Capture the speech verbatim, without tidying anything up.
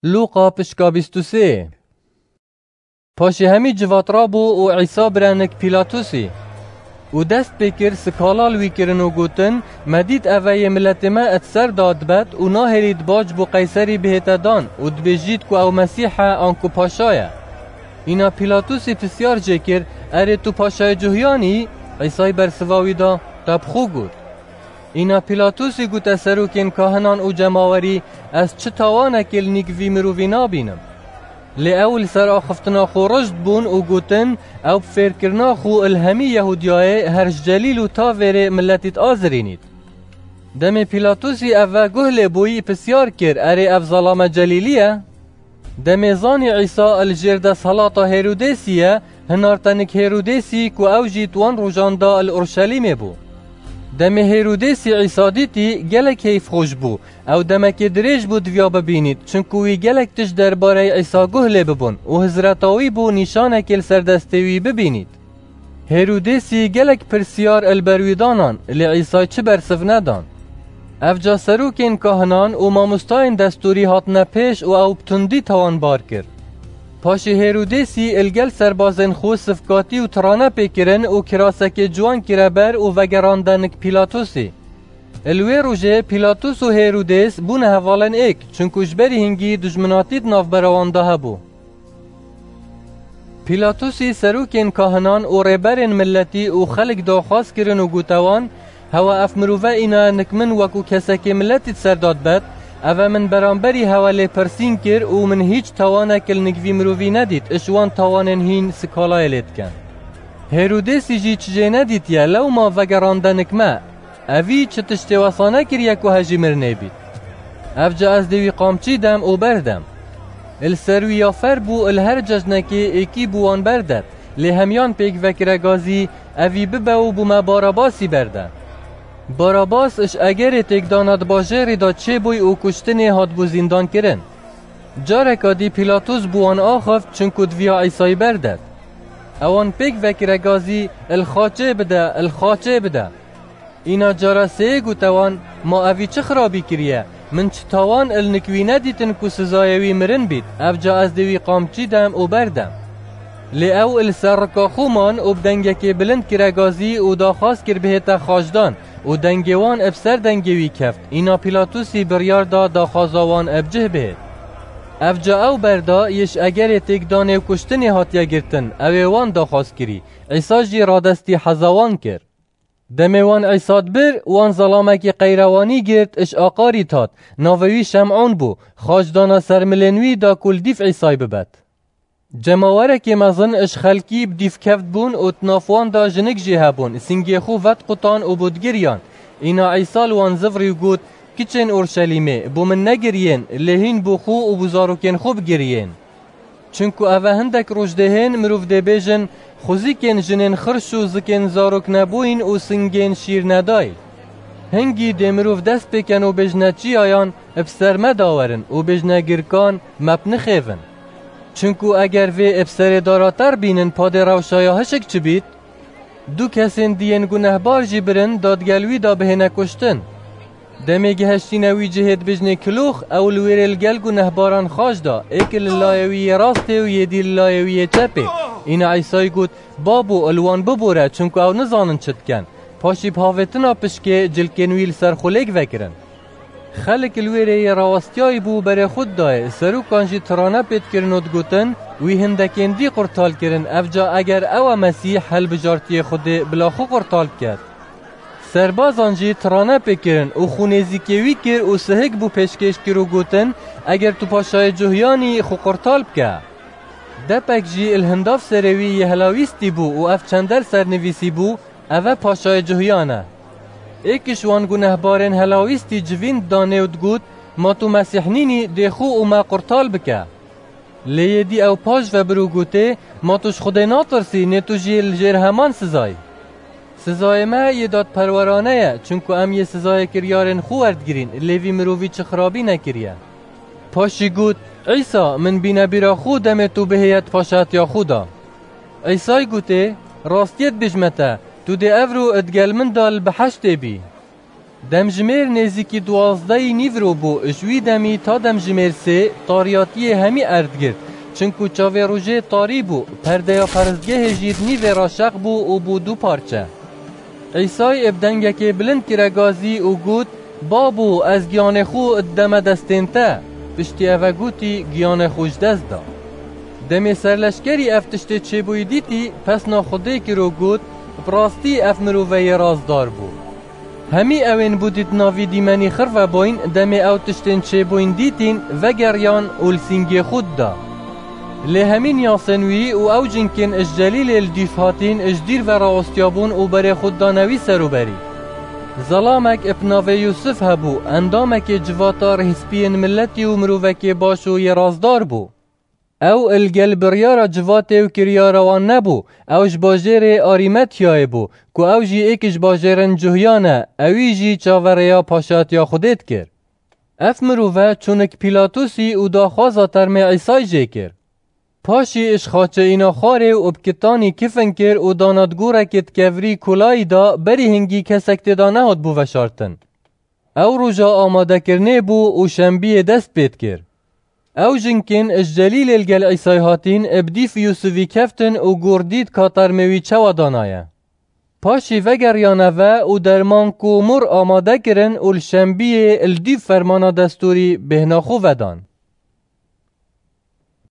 Lûqa pişka bîst û sê. Paşê hemî civat rabû û Îsa birenik Pîlatusî. Û dest pê kir, sikala li wî kirin û gotin, "Me dît eve yê miletê me di ser da dibet û nahêlît bac bo Qeyserî bihête dan û dibêjît ku ew Mesîh e anku paşa ye." Îna Pîlatusî pisyar jê kir, "Erê tu paşayê Cuhyan î?" Îsay bersiva wî da, "Te bi xwe got." Îna Pîlatusî gote serokên kahinan û cemawerî, "Ez çi tawanekê li nîk vî mirovî nabînim." Lê ew li ser axiftina xwe rijd bûn û gotin, "Ew bi fêrkirina xwe li hemî Yehûdiyayê her ji Celîl û ta vêrê miletî diazirînît." Demê Pîlatusî ev ve guh lê bûyî pisyar kir, "Erê ev zelame Celîlî ye?" Demê zanî Îsa li jêr desthilata Hêrodêsî ye, hinarte nik Hêrodêsî ku ew jî di wan rojan de li Urşelîmê bû. Demê Hêrodêsî Îsa dîtî, gelek heyfxweş bû. Ew demekê dirêj bû diviya bibînît, çinku wî gelek tişt derbareyê Îsa guh lê bibûn û hizreta wî bû nîşanekê li ser destê wî bibînît. Hêrodêsî gelek pirsyar li ber wî danan, lê Îsay çi bersiv nedan. Evca serokên kahinan û mamostayên destûrî hatine pêş û ew bi tundî tawanbar kir. Paşê Hêrodêsî li gel serbazên xwe sifkatî û tirane pê kirin û kirasekê ciwan kire ber û vegerande nik Pîlatusî. Li wê rojê Pîlatus û Hêrodês bûne hevalên êk, çinku ji berî hingî dijminatî di navbera wan de hebû. Pîlatusî serokên kahinan û rêberên miletî û xelk daxwaz kirin û gote wan, "Hewa ev mirove îna nik min wekû kesekê miletî di ser da dibet, eve min beramberî hewa lêpirsîn kir û min hîç tawanek li nik vî mirovî nedît, ji wan tawanên hîn sikalayê lê dikin." Hêrodêsî jî çi jê nedîtiye, lewma vegerande nik me. Evî çi tiştê wesa nekiriye ku hejî mirinê bît. Evca ez dê wî qamçî dem û berdem. Li ser wî ya fer bû, li her cejnekê êkî bû wan berdet, lê hemiyan pêk vekire gazî, "Evî bibe û bo me Barabasî berde." Barabas ji egerê têkdana di bajêrî de çêbûy û kuştinê hatbû zîndan kirin. Careka dî Pîlatus bû wan axift, çinku diviya Îsayî berdet. Ewan pêk vekire gazî, "Li xaçê bide, li xaçê bide." Îna cara sêyê gote wan, "Ma evî çi xirabî kiriye? Min çi tawan li nik wî nedîtin ku sizayê wî mirin bît, evca ez dê wî qamçî dem û berdem." Lê ew li ser rika xwe man û bi dengekê bilind kire gazî û daxwaz kir bihête xaçdan û dengê wan bi ser dengê wî keft. Îna Pîlatusî biryar da daxwaza wan bi cih bihêt. Evca ew berda, yê ji egerê têkdanê û kuştinê hatiye girtin, ew ê wan daxwaz kirî. Îsa jî radestî heza wan kir. Demê wan Îsa dibir, wan zelamekî qeyrewanî girt, ji aqarî tat, navê wî Şem'ûn bû, xaç dana ser milên wî da ku li dîf Îsay bibet. Cemawerekê mezin ji xelkî bi dîf keft bûn û di nav wan de jinik jî hebûn, singê xwe vediqutan û bû digiriyan. Îna Îsa li wan zivirî û got, "Kiçên Orşelîmê, bo min negiriyên, lê hîn bo xwe û bo zarokên xwe bigiriyên." Çinku eve hindek roj dê hên mirov dê bêjin, "Xwezîkên jinên xirş û zikên zarok nebûyîn û singên şîr nedayî." Hingî dê mirov dest pê ken û bêjne çiyayan, "Bi ser me dawerin" û bêjne girkan, "Me bi nixêvin." Çinku eger vê bi serê dara ter bînin, padê rewşa ya hişk çi bît? Du kesên diyên gunehbar jî birin, dadgel wî da bihêne kuştin. Demê gihiştîne wî cihê dibêjnê kilox, ew li wêrê li gel gunehbaran xaç da, êk li layê wî yê rastê û yê dî li layê wî yê çepê. Îna Îsayî got, "Babo, li wan bibore, çunku ew nizanin çi dikin." Paşî bi havêtina pişkê cilkên wî li ser xwe lêk vekirin. Xelk li wêrê yê rawestiyayî bû berê xwe didayê, serokan jî tirane pê dikirin û digotin, "Wî hindekên dî qurtal kirin, evca eger ew e Mesîh, hilbijartiyê Xwedê bila xwe qurtal biket." Serbazan jî tirane pê kirin û xwe nêzîkê wî kir û sihik bû pêşkêş kir û gotin, "Eger tu paşayê Cuhyanî, xwe qurtal bike." Depek jî li hindav serê wî yê helawîstî bû û ev çende li ser nivîsî bû, "Eve paşayê Cuhyan e." Êk ji wan gunehbarên helawîstî civîn didanê û digot, "Ma tu Mesîh nînî, dê xwe û me qurtal bike." Lê yê dî ew paş ve bir û gotê, "Ma tu ji Xwedê natirsî, nê tu jî li jêr heman sizayî? Sizayê me yê dadperwerane ye, çunku em yê sizayê kiryarên xwe werdigirîn, lê vî mirovî çi xirabî nekiriye." Paşî got, "Îsa, min bîne bîra xwe demê tu bihêye di paşatiya xwe de." Îsay gotê, "Rastiyê dibêjme te, tu dê evro digel min de li biheştê bî." Demjimêr nêzîkî duwazdehî nîvro bû, ji wî demî ta demjimêr sê tariyatiyê hemî erd girt, çinku çavê rojê tarî bû, perdeya perestgehê jî di nîvê re şeq bû û bû du parçe. Îsay bi dengekê bilind kire gazî û got, Babo, ez giyanê xwe dideme destên te. Piştî eve gotî, Giyanê xwe ji dest da. Demê serleşkerî ev tiştê çêbûyî dîtî, pesna Xwedê kir û got, Bi rastî ev mirove yê razdar bû. Hemî ewên bûdît navî dîmenî xirve boyn, demê ew tiştên çêbûyn dîtîn, vegeriyan û li sîngê xwe dida. Lê hemîn yasên wî û ew cinkên ji Celîlê li dîf hatîn, ji dîr ve raostiyabûn û berê xwe didane wî serûberî. Zelamek bi navê Yûsif hebû, endamekê civata rêhspiyên miletî û mirovekê baş û yê razdar bû. Ew li gel biryara civatê û kiryara wan nebû, ew ji bajêrê Arîmetiyayê bû, ku ew jî êk ji bajêrên cuhiyan e, ewî jî çaverêya paşatiya Xwedê dikir. Ev mirove çûnik Pîlatusî û daxwaza termê Îsay jê kir. Paşî ji xaçeyîna xwarê û bi kitanî kifin kir û dana di gorekê di kevirî kolayî da, berî hingî kesek tê de nehat bû veşartin. Ew roja amadekirinê bû û şembiyê dest pê dikir. Ew jinkên ji Celîlê li gel Îsay hatîn, bi dîf Yûsivî keftin û gor dît ka termê wî çawa danaye. Paşî vegeriyane ve û derman ku mor amade kirin û li şembiyê li dîf fermana destûrî bêhna xwe vedan.